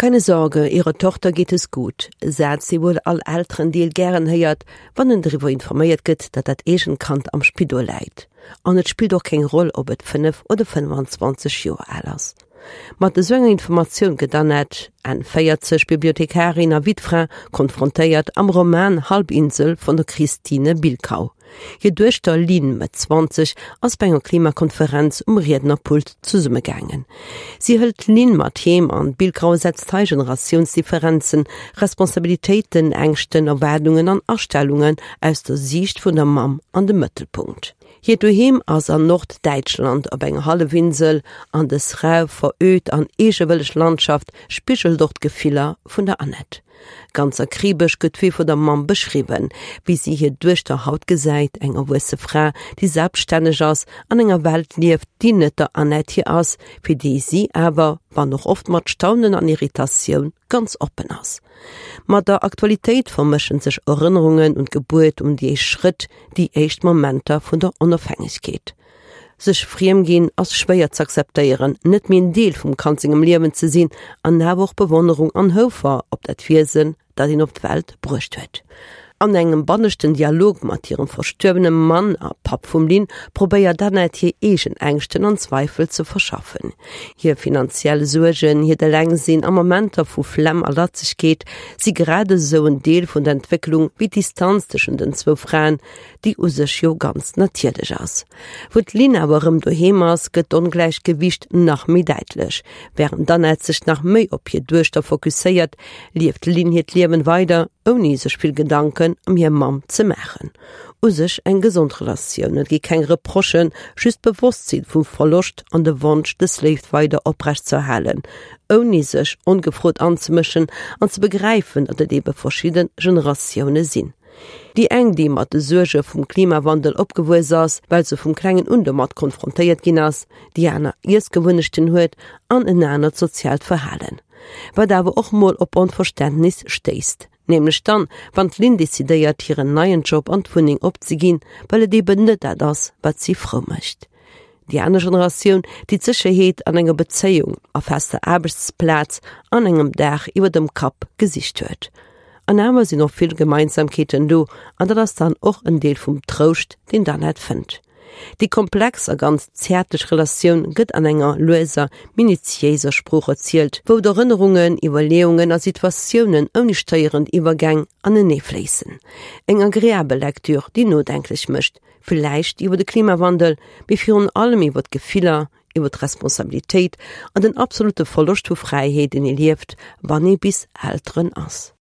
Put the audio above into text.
Keine Sorge, Ihrer Tochter geht es gut, e Saz, dee wuel all Elterendeel gären héiert, wann en driwwer informéiert gëtt, datt dat eegent Kand am Spidol läit. An et spillt och keng Roll, ob et 5 oder 25 Joer al ass. Mat esou enger Informatioun gëtt d'Annette, Enn 40, Bibliothekarin a Wittfra, konfrontéiert am Roman Halbinsel vun der Christine Bilkau. Hir Duechter Lynn, Mëtt 20, ass bei enger Klimakonferenz um Riednerpult zesummegaangen. Si hëlt d'Lynn mat heem an d'Bilkau setzt hei Generatiounsdifferenzen, Responsabilitéiten, Ängschten, Erwaardungen an Astellungen aus der Siicht vun der Mamm an de Mëttelpunkt. Hiert Doheem ass an Norddäitschland op enger Hallefinsel an dës rau, veröd an eegewëlleg Landschaft spigelt och d'Gefiller vun der Annette. Ganz akribesch gëtt d'Wee vun der Mamm beschriwwen, wéi si hir Duechter haut gesäit, eng erwuesse Fra, déi selbststänneg ass, an enger Welt lieft, déi net der Annette hir ass, fir déi si awer, wann och oft mat Staunen an Irritatioun, ganz oppen ass. Mat der Aktualitéit vermëschen sech Erënnerungen un d'Gebuert, un déi éischt Schrëtt, déi éischt Momenter vun der Onofhängegkeet. Sech friem ginn ass schwéier z'akzeptéieren, net méi en Deel vum Kand sengem Liewen ze sinn an awer och Bewonnerung an Houfer op dat Wiesen, dat een op d'Welt bruecht huet. An engem banneschten Dialog mat hirem verstuerwene Mann a Papp vum Lynn probéiert d'Annette hir eegen Ängschten an Zweifel ze verschaffen. Hir finanziell Suergen, hiert Elengsinn a Momenter vu Flemm a Latzegkeet si grad esou en Deel vun der Entwécklung wéi d'Distanz tëschent den zwou Fraen, déi u sech jo ganz natierlech ass. Wou d'Lynn awer erëm doheem ass, gëtt d'Ongläichgewiicht nach méi däitlech. Wärend d'Annette sech nach méi op hir Duechter fokusséiert, lieft d'Lynn hiert Liewen weider, ouni sech vill Gedanken ëm hir Mamm ze maachen. U sech eng gesond Relatioun, et gi keng Reprochen, just d'Bewosstsinn vum Verloscht an de Wonsch, dës Léift weider oprecht z'erhalen, ouni sech ongefrot anzemëschen an ze begräifen, datt et ebe verschidde Generatioune sinn. Déi eng, déi mat de Suerge vum Klimawandel opgewuess ass, well se vum klengen un domat konfrontéiert ginn ass, déi aner Iessgewunnechten huet an en anert soziaalt Verhalen. Wat awer och mol op Onverständnis stéisst. Nämlech dann, wann d'Lynn decidéiert, hiren neien Job an d'Wunneng opzeginn, well et eben net dat ass, wat si frou mécht. Déi aner Generatioun, déi d'Sécherheet an enger Bezéiung, a fester Aarbechtsplaz an engem Daach iwwer dem Kapp gesicht huet. An awer sinn och vill Gemeinsamkeeten do, an dat ass dann och en Deel vum Trouscht, deen d'Annette fënnt. Déi komplex a ganz zäertlech Relatioun gëtt an enger lueser, minutiéiser Sprooch erzielt, wou d'Erënnerungen, Iwwerleeungen a Situatiounen ouni stéierend Iwwergäng aneneefléissen. Eng agreabel Lektür, déi nodenklech mécht, Villäicht iwwer de Klimawandel, mee virun allem iwwer d'Gefiller, iwwer d'Responsabilitéit an den absolute Verloscht vu Fräiheet, deen ee lieft, wann ee bis Elteren ass.